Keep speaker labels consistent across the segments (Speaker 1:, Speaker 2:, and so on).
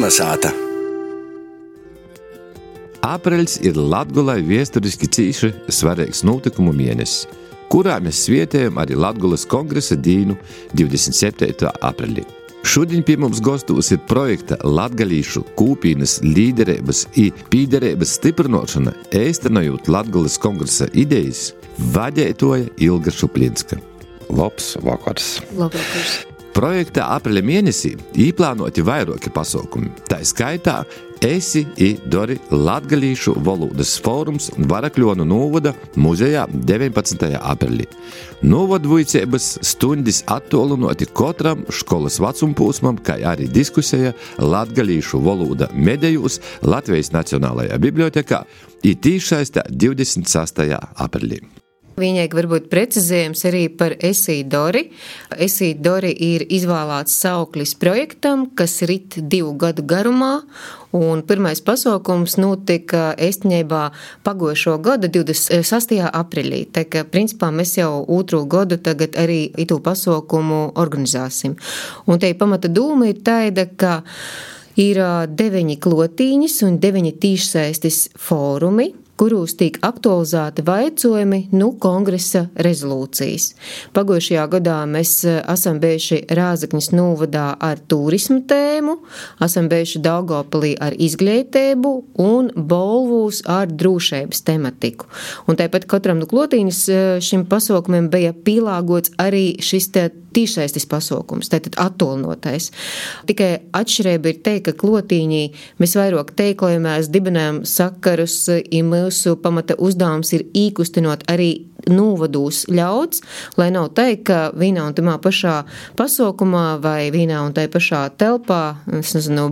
Speaker 1: Kalnasāta.
Speaker 2: Apreļs ir Latgolai viesturiski cīši svarīgs notikumu mēnesis, kurā mēs svietējam arī Latgolas kongresa dīnu 27. aprelī. Šodien pie mums gostūs ir projekta latgalīšu kūpīnas līderības i pīderības stiprinošana, eistanojot Latgolas kongresa idejas, vadētoja Ilga Šuplinska.
Speaker 3: Labs vakars.
Speaker 4: Labvakars.
Speaker 2: Projekta apreļa mēnesī īplānoti vairāki pasaukumi. Tā skaitā Esi i Dori latgalīšu valodas fórums Varakļonu novada muzejā 19. aprelī. Novadvuicības stundis attolunoti katram školas vacumpūsmam, kā arī diskusija latgalīšu valoda medejūs Latvijas Nacionālajā bibliotekā i tīšsaistē 26. aprelī.
Speaker 4: Viņēk varbūt precizējums arī par Esi Dori. Esi Dori ir izvēlēts sauklis projektam, kas rit 2 gadu garumā, un pirmais pasaukums notika īstenībā pagojušo gada 26. aprīlī. Tā kā, principā, mēs jau 2. gadu tagad arī itu pasaukumu organizāsim. Un te pamata dūma ir tāda, ka ir 9 klotīņas un 9 tīšsaistes fórumi, kurūs tiek aktualizēti vaicojumi kongresa rezolūcijas. Pagojušajā gadā mēs esam bijuši Rāzaknis novadā ar turismu tēmu, esam bijuši Daugavpilī ar izglītību un Bolvūs ar drošības tematiku. Un tāpat katram no klotīņas šim pasaukumiem bija pielāgots arī šis tīšsaistes pasaukums, tātad attolnotais. Tikai atšķirība ir te, ka klotīņī mēs vairāk teiklojamās dibinājam sakarus, mūsu pamata uzdevums ir īkustinot arī novadūs ļauds, lai nav teikt, ka vienā un tamā pašā pasaukumā vai vienā un tai pašā telpā,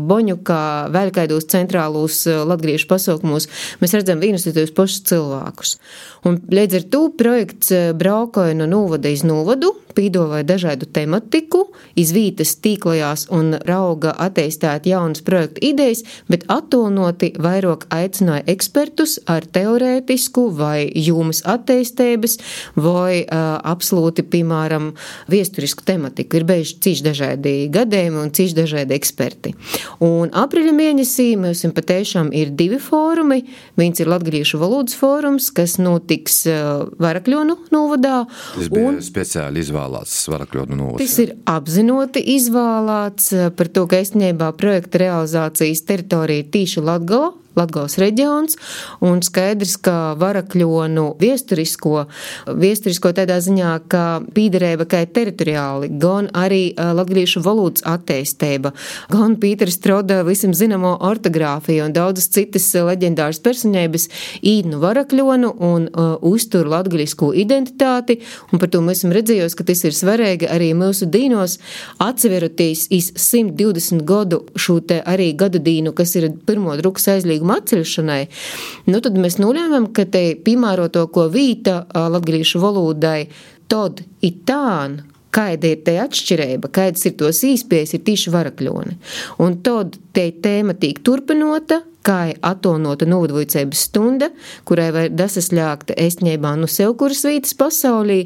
Speaker 4: Boņukā, vēl kādos centrālos latgaliešu pasaukumos, mēs redzam vienus un tos pašus cilvēkus. Un līdz ar to projekts braukoja no novada iz novadu, pīdolāja dažādu tematiku, izvītas tīklojās un rauga attīstāt jaunas projektu idejas, bet attolnoti vairāk aicināja ekspertus ar teorētisku vai jūmas attīstības vai absolūti, piemēram, viesturisku tematiku. Ir bijuši cīši dažādi gadījumi un cīši dažādi eksperti. Un aprīļa mēnesī mums patiešām ir 2 fórumi. Viens ir latgalīšu valodas fórums, kas notiks Varakļonu novadā.
Speaker 3: Tas bija speciāli izvēlēts Varakļonu novadā.
Speaker 4: Tas ir apzinoti izvēlēts par to, ka īstenībā projekta realizācijas teritorija ir tīši Latgales reģions, un skaidrs, ka Varakļonu viesturisko tādā ziņā, ka pīderēba kā teritoriāli, gan arī latgalīšu valodas attīstība, gan Pīters Troda visam zinamo ortogrāfiju un daudzas citas leģendāras personības īd no Varakļonu un uztur latgalisko identitāti, un par to mēs esam redzējusi, ka tas ir svarīgi arī mūsu dīnos atseveroties iz 120 gadu šo te arī gadu dīnu, kas ir pirmo drukas aizlīguma atceļšanai, tad mēs nolēmām, ka te piemēroto ko vīta latgalīšu valodai tod itān, kāda ir te atšķirība, kādas ir tos īspējas, ir tīši Varakļoni. Un tod te tēma tīk turpinota, kā atolnota novadvuicības stunda, kurai var dasasļākt īstenībā no sev kuras vītas pasaulī,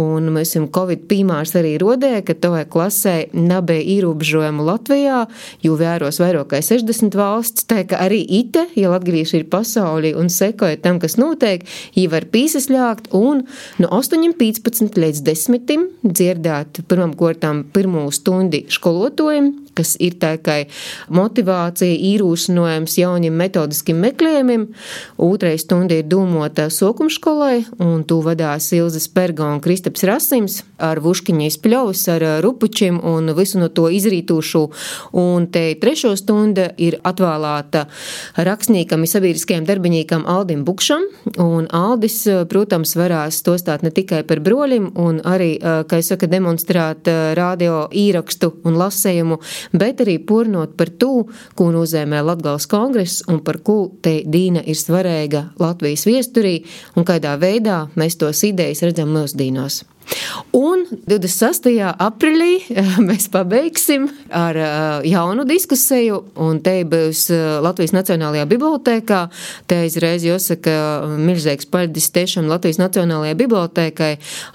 Speaker 4: un mēs esam Covid piemērs arī rodēja, ka tovai klasē nebija ierobežojumu Latvijā, jo vēros vairāk kā 60 valsts, tā ka arī ite, ja latgalīši ir pasaulī un sekoja tam, kas notiek, jī var pīsasļākt un no 8:15 līdz 10 dzirdēt pirmam kortām pirmo stundi školotājiem, kas ir tā kā motivācija, īrūšanojums jauniem metodiskiem meklējumiem. 2. stunda ir dūmota sokumškolai, un tū vadās Ilze Sperga un Kristaps Rasims ar vuškiņas pļaus, ar rupučiem un visu no to izrītūšu. Un te 3. stunda ir atvēlēta rakstniekam un sabiedriskajam darbiņīkam Aldim Bukšam, un Aldis, protams, varēs stostāt ne tikai par broļim un arī, kā es saka, demonstrēt radio īrakstu un lasējumu, bet arī pornot par to, ko nozīmē Latgales kongress un par ko te dīna ir svarīga Latvijas viesturī un kādā veidā mēs tos idejas redzam mūsdīnos. Un 26. Aprilī mēs pabeigsim ar jaunu diskusiju, un te būs Latvijas Nacionālajā bibliotēkā. Te izreiz jāsaka milzīgs paldies tiešām Latvijas Nacionālajai bibliotēkai.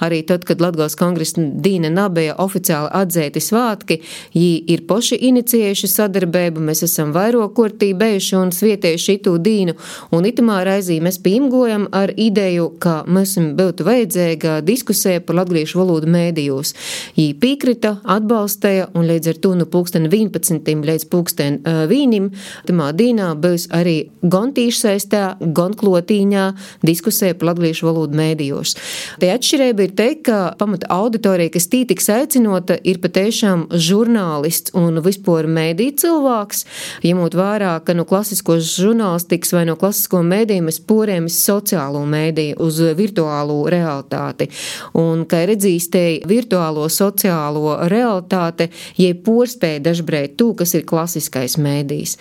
Speaker 4: Arī tad, kad Latgales kongresa dīna nabēja oficiāli atzēti svātki, jī ir poši inicijējuši sadarbību, mēs esam vairākārtī bijuši un svietējuši itū dīnu, un itamā raizī mēs pīmgojam ar ideju, ka mums būtu vajadzīga diskusija par latgalīšu valodu mēdījos. Jī piekrita, atbalstīja, un līdz ar to no 11. līdz 1. tamā dīnā būs arī gan tīšsaistē, gan klotīņā diskusija par latgalīšu valodu mēdījos. Te atšķirība ir te, ka pamata auditorija, kas tī tiks aicinota, ir patiešām žurnālists un vispār mēdī cilvēks, ņemot vērā, ka no klasiskos žurnālistikas vai no klasisko mēdīju mēs porējamies sociālo mēdīju uz virtuālo realitāti. Un, kā redzīs, te virtuālo sociālo realitāte, jie porspēja dažbreit tū, kas ir klasiskais mēdījs.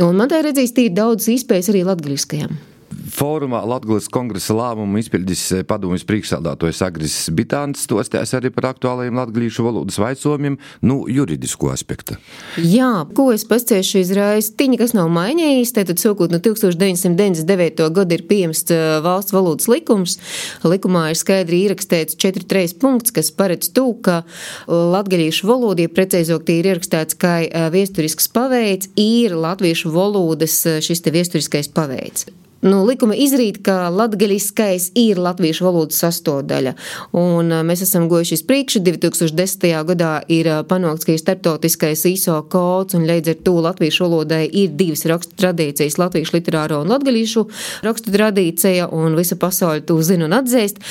Speaker 4: Un man tā redzīs, tī ir daudz iespējas arī latgaliskajam.
Speaker 2: Fórumā Latgales kongresa lēmumu izpildis padomjas priekšsēdētājs Agris Bitāns, stostās arī par aktuālajiem latgalīšu valodas vaicojumiem, juridisko aspekta.
Speaker 4: Jā, ko es pasciešu izreiz, tiņi, kas nav mainījis, tātad sākot no 1999. gada ir pieņemts valsts valodas likums. Likumā ir skaidri ierakstīts 4.3 punkts, kas paredz to, ka latgalīšu valoda, ja precīzāk tie ir ierakstīts kā viesturisks paveids, ir latviešu valodas šis te viesturiskais paveids. Likuma izrīt, ka latgaliskais ir latviešu valodas sastāvdaļa, un mēs esam gojuši priekšu. 2010. gadā ir panākts, ka ir starptautiskais ISO kods, un līdz ar to latviešu valodai ir divas rakstu tradīcijas, latviešu literāro un latgalīšu rakstu tradīcija, un visa pasaule to zina un atzīst.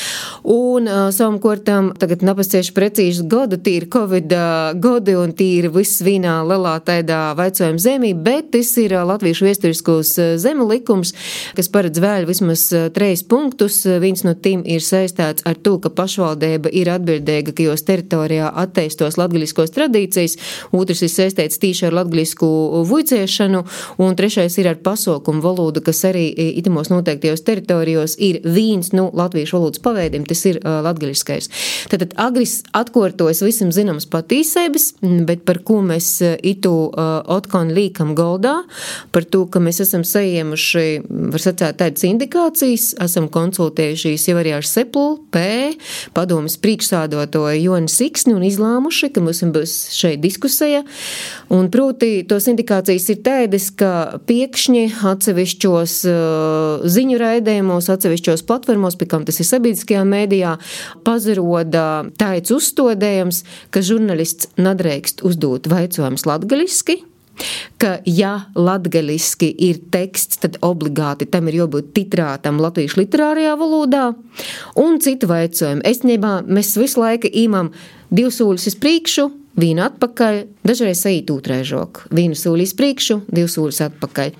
Speaker 4: Un savukārtam tagad napascieši precīzi gadu, tī ir Covid godi, un tī ir viss vīnā lielā tādā vaicojuma zemī, bet tas ir latviešu viesturiskos zemu likums, kas paredz vēl vismaz 3 punktus. Viens no tiem ir saistāts ar to, ka pašvaldība ir atbildīga, ka jos teritorijā atteistos latgaliskos tradīcijas, otrs ir saistīts tīši ar latgalisku vuicēšanu, un trešais ir ar pasaukumu valodu, kas arī itamos noteiktajos teritorijos ir viens no latviešu valodas paveidiem, tas ir latgaliskais. Tātad Agris atkārtojas visam zināmas patīsības, bet par ko mēs itu otkon līkam goldā, par to, ka mēs esam saiemuši, var sacīt, tādas indikācijas, esam konsultējušies jau arī ar Sepul, padomes priekšsēdētāju Joni Siksni un izlēmuši, ka mums būs šeit diskusija. Un proti, tos indikācijas ir tādas, ka pēkšņi atsevišķos ziņu raidījumos, atsevišķos platformos, pie kam tas ir sabiedriskajā mēdījā, pazaroda tāds uzstādījums, ka žurnālists nedrīkst uzdot vaicojumus latgaliski, ka, ja latgaliski ir teksts, tad obligāti tam ir jābūt titrātam latviešu literārajā valodā, un citu vaicojumu. Esnībā mēs visu laiku īmam 2 soļus uz priekšu, 1 atpakaļ, dažreiz eit ūtrēžok. 1 soli uz priekšu, 2 soļus atpakaļ.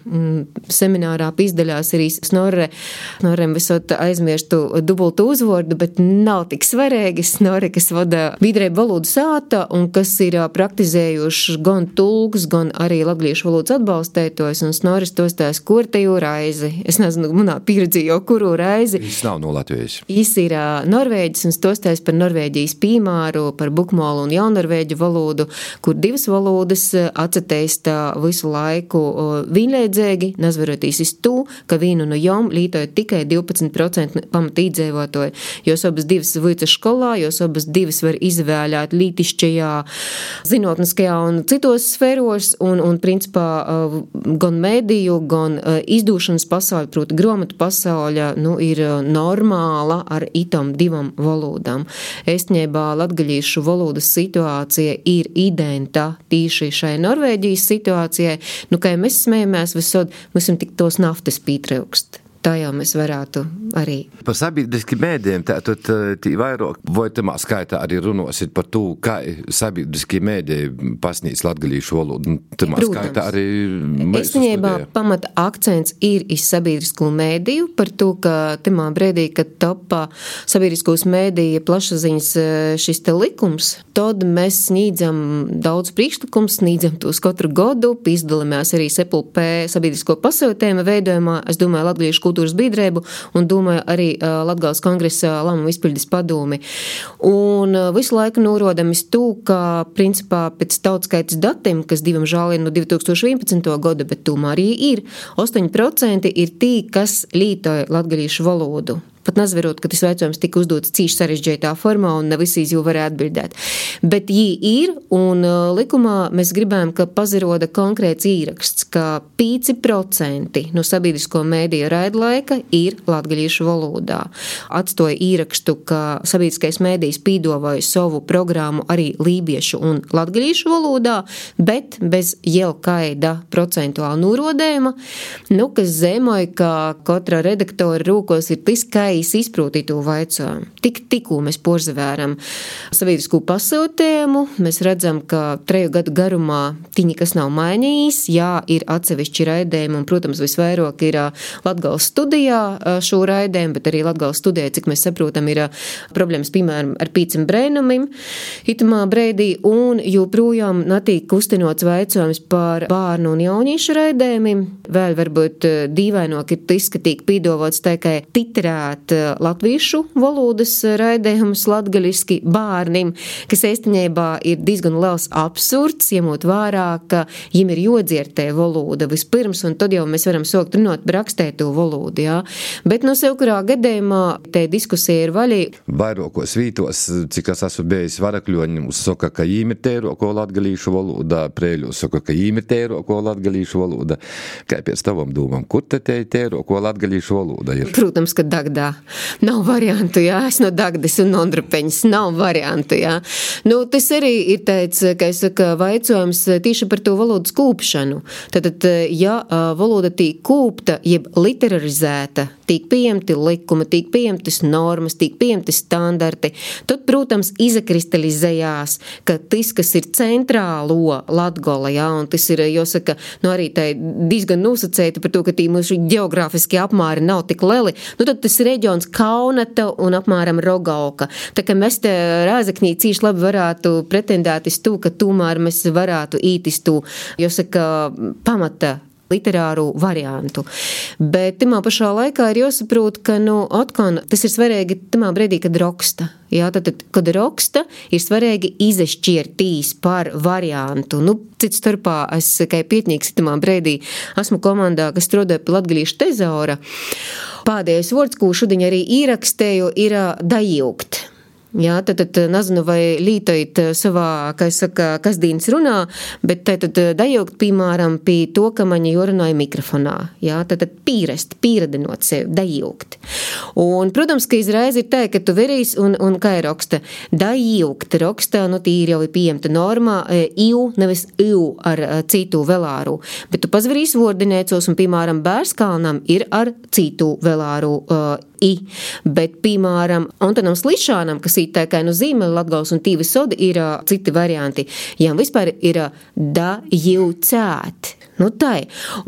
Speaker 4: Seminārā izdaļās arī Snorrem visot aizmirstu dubultu uzvordu, bet nav tik svarīgi. Snorre, kas vada Vidrēba valodu sāta un kas ir praktizējuši gan tulks, gan arī latgalīšu valodas atbalstētojs, un Snorris tostās kortejo raizi. Es nezinu, manā pieredzi jau kuru raizi.
Speaker 2: Viņš nav no Latvijas.
Speaker 4: Viņš ir Norvēģis un tostās par Norvēģijas pīmāru, par bukmolu un jaunorvēģu valodu, kur 2 valodas atsateista visu laiku vienleidzīgi, nazveroties iz to, ka vienu no jom lītoja tikai 12% pamatīdzēvotoji. Jos abas 2 vuica skolā, jos abas 2 var izvēlēt lītišķajā, zinātniskajā un citos sfēros, un principā gan mēdīju, gan izdūšanas pasaule, proti grāmatu pasaule, ir normāla ar itam 2 valodām. Estņībā latgalīšu valodas situācija ir identa tīši šai Norvēģijas situācijai, kā mēs smējamies visod, mums tik tos naftas pītraukst. Tā jau mēs varētu arī.
Speaker 2: Par sabiedriski mēdījiem, tātad tī vairāk, vai tamā skaitā arī runosit par to, kā sabiedriski mēdīji pasnīdz latgalīšu valodu. Tamā skaitā arī mēs
Speaker 4: Esnībā pamata akcents ir iz sabiedrisko mēdīju, par to, ka tamā brīdī, kad topā sabiedriskos mēdīja plašsaziņas šis te likums, tad mēs sniedzam daudz priekšlikums, sniedzam tos katru gadu, izdalāmies arī Sepul sabiedrisko pasūtējumu veidojumā. Es domāju, latgalīšu kultūras biedrību un domāju arī Latgales kongresa lēmumu izpildes padomi. Un visu laiku norodam iz to, ka principā pēc tautskaitas datiem, kas diemžēl ir no 2011. gada, bet tomēr arī ir, 8% ir tī, kas lītoja latgalīšu valodu. Pat nazverot, ka tas jautājums tika uzdots cīši sarežģītā formā un ne visi jau varēja atbildēt. Bet jī ir, un likumā mēs gribējam, ka paziroda konkrēts īraksts, ka 5% no sabiedrisko mēdīju raidlaika ir latgalīšu valodā. Atstoja īrakstu, ka sabiedriskais mēdījis pīdovāja savu programmu arī lībiešu un latgalīšu valodā, bet bez jelkaida procentuāla norodējuma, kas zemoja, ka katra redaktora rūkos ir tis, ka izprūtītu vaicojumu. Tikko mēs porzavēram sabiedriskū pasūtējumu, mēs redzam, ka 3 gadu garumā tiņi, kas nav mainījis, jā, ir atsevišķi raidējumi, un, protams, visvairāk ir Latgales studijā šo raidējumu, bet arī Latgales studijā, cik mēs saprotam, ir problēmas, piemēram, ar 5 brēnumim, itamā breidī, un joprojām netiek kustinots vaicojums par bārnu un jauniešu raidējumiem. Vēl varbūt dīvaināk ir tas, ka tiek pīdovots tikai titrēt latviešu valodas raidējumus latgaliski bārnim, kas īstenībā ir diezgan liels absurds, ņemot vērā, ka viņiem ir jodziertē valoda vispirms, un tad jau mēs varam sākt runāt par rakstēto valodu, jā. Bet no sev kurā gadījumā te diskusija ir vaļī.
Speaker 2: Vairākos vītos, cik es esmu bijis Varakļoņi, saka, ka jīm ir tēroko latgalīšu valoda, Prēļos saka, ka jīm ir tēroko latgalīšu valoda. Kā pēc tavam domam, kur te tēroko latgalīšu valoda ir?
Speaker 4: Protams, ka Dagdā. Nav variantu, jā, es no Dagdas un Ondrapeņas, nav variantu, jā. Tas arī ir tāds, kā es saku, vaicojums tieši par to valodas kūpšanu. Tātad, ja valoda tiek kūpta, jeb literarizēta, tiek pieņemti likumi, tiek pieņemtas normas, tiek pieņemti standarti, tad, protams, izakristalizējās, ka tas, kas ir centrālo Latgola, jā, un tas ir, jāsaka, arī tā diezgan nosacēta par to, ka tī mūsu geogrāfiskie apmāri nav tik lieli, tad tas reģions Kaunata un apmēram Rogauka. Tā kā mēs te Rāzaknī cīši labi varētu pretendēt iz to, ka tomēr mēs varētu īt iz to, jāsaka, pamata literāru variantu. Bet timā pašā laikā ir jāsaprot, ka, atkal, tas ir svarīgi timā brīdī, kad raksta. Jā, tad, kad raksta, ir svarīgi izešķirtīs par variantu. Cits starpā es, kā pietnīgs timā brīdī, esmu komandā, kas strādāja pie latgalīšu tezaura. Pēdējais vārds, ko šodien arī ierakstēju, ir dajūgt. Jā, tad nezinu, vai lītojat savā, kā es saka, kasdienas runā, bet tad dajaukt, piemēram, pie to, ka man jorunāja mikrofonā. Jā, tad pieredinot sevi, dajaukt. Un, protams, ka izreiz ir tā, ka tu verīs un kā ir raksta. Dajaukt raksta, tī ir jau pieņemta normā, iu, nevis iu ar citu velāru. Bet tu pazverīs vordinēcos un, piemēram, Bērskalnam ir ar citu velāru i. Bet, piemēram, Antonam Slišanam, kas ir tā kā Zīmeli Latgals un Tīvis Sodi, ir citi varianti. Jām vispār ir dajaucēt. Tai.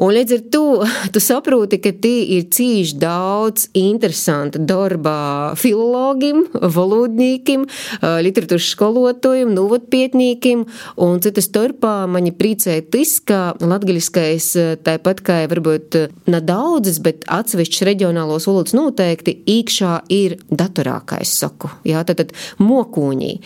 Speaker 4: Un līdz ar to, tu saproti, ka tī ir cīši daudz interesanta darba filologim, valodnīkim, literatūras skolotājiem, novadpietnīkim, un citas starpā mani priecēja tas, ka latgaliskais, tāpat kā varbūt nedaudzes, bet atsevišķs reģionālos valodas noteikti, iekšā ir datorā, kā es saku. Jā, tad mokūņī.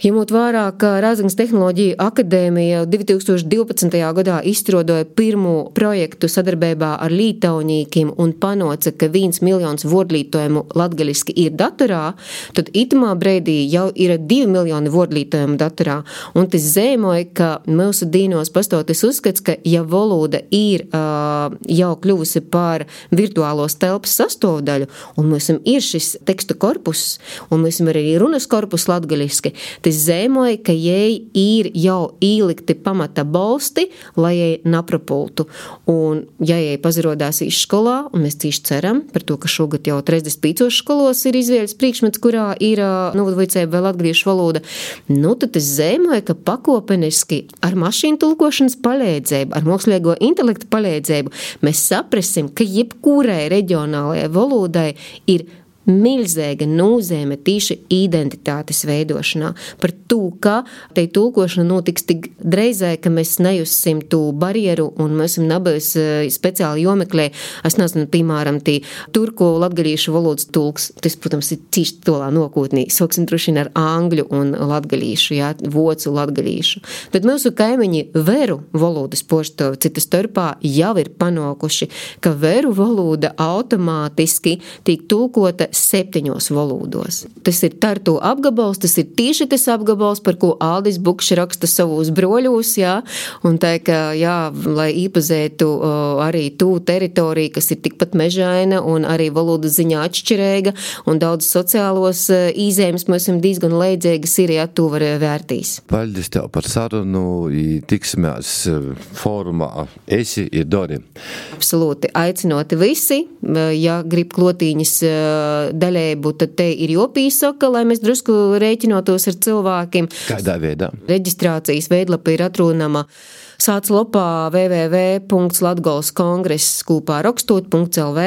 Speaker 4: Ņemot vērā, ka Rāzaknes tehnoloģiju akadēmija 2012. gadā izstrādāja pirmo projektu sadarbībā ar lītaunīkiem un panoca, ka 1 miljons vordlītojumu latgaliski ir datorā, tad itamā breidī jau ir 2 miljoni vordlītojumu datorā. Un tas zīmoja, ka mūsu dīnos pastoties uzskats, ka ja valoda ir jau kļuvusi par virtuālos telpas sastāvdaļu, un mums ir šis tekstu korpus, un mums ir arī runas korpus latgaliski, zēmoja, ka jai ir jau īlikti pamata bolsti, lai jai naprapultu. Un, ja jai pazirodās iz skolā, un mēs cīši ceram par to, ka šogad jau 35 skolos ir izvēles priekšmets, kurā ir novadvicēba vai latgalīšu valoda, tad tas zēmoja, ka pakopeniski ar mašīnu tulkošanas palīdzību, ar mākslīgo intelektu palīdzību mēs saprasim, ka jebkurai reģionālajai valodai ir milzīga nozīme tīši identitātes veidošanā. Par to, ka te tulkošana notiks tik dreizē, ka mēs nejussim tū barjeru un mēs esam nabēs speciāli jomeklē. Es nezinu, piemēram, tī turko latgalīšu valodas tulks, tas, protams, ir cīši tolā nokūtnī. Soksim drušina ar angļu un latgalīšu, jā, vocu latgalīšu. Tad mūsu kaimiņi veru valodas poštovi citas starpā jau ir panākuši, ka veru valoda automātiski tiek tulkota 7 valodos. Tas ir Tartu apgabals, tas ir tieši tas apgabals, par ko Aldis Bukšs raksta savos broļos, jā, un tā, ka, jā, lai īpazētu arī tū teritoriju, kas ir tikpat mežaina un arī valodas ziņā atšķirīga, un daudz sociālos īzējumus mēs esam diezgan leidzēgas ir, ja tu var vērtīs.
Speaker 2: Paldies tev par sarunu, tiksimies fórumā Esi i Dori.
Speaker 4: Absolūti, aicinoti visi, ja grib klotīņas daļēbu, tad te ir jopīsaka, lai mēs drusku rēķinotos ar cilvēkiem.
Speaker 2: Kādā veidā?
Speaker 4: Reģistrācijas veidlapa ir atrunama sāc lopā www.latgalskongress.lv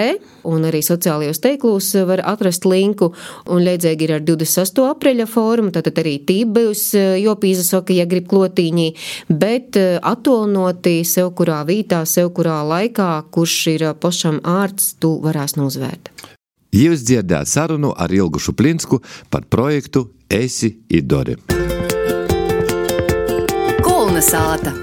Speaker 4: un arī sociālajos teiklūs var atrast linku un leidzēgi ir ar 28. apreļa fórumu, tātad arī tībējus jopīsaka, ja grib klotīņī, bet atolnoti sev kurā vītā, sev kurā laikā, kurš ir pašam ārts, tu varēs nozvērt.
Speaker 2: Jūs dzirdēt sarunu ar Ilgušu Plinsku par projektu Esi i Dori.
Speaker 1: Kulna sāta.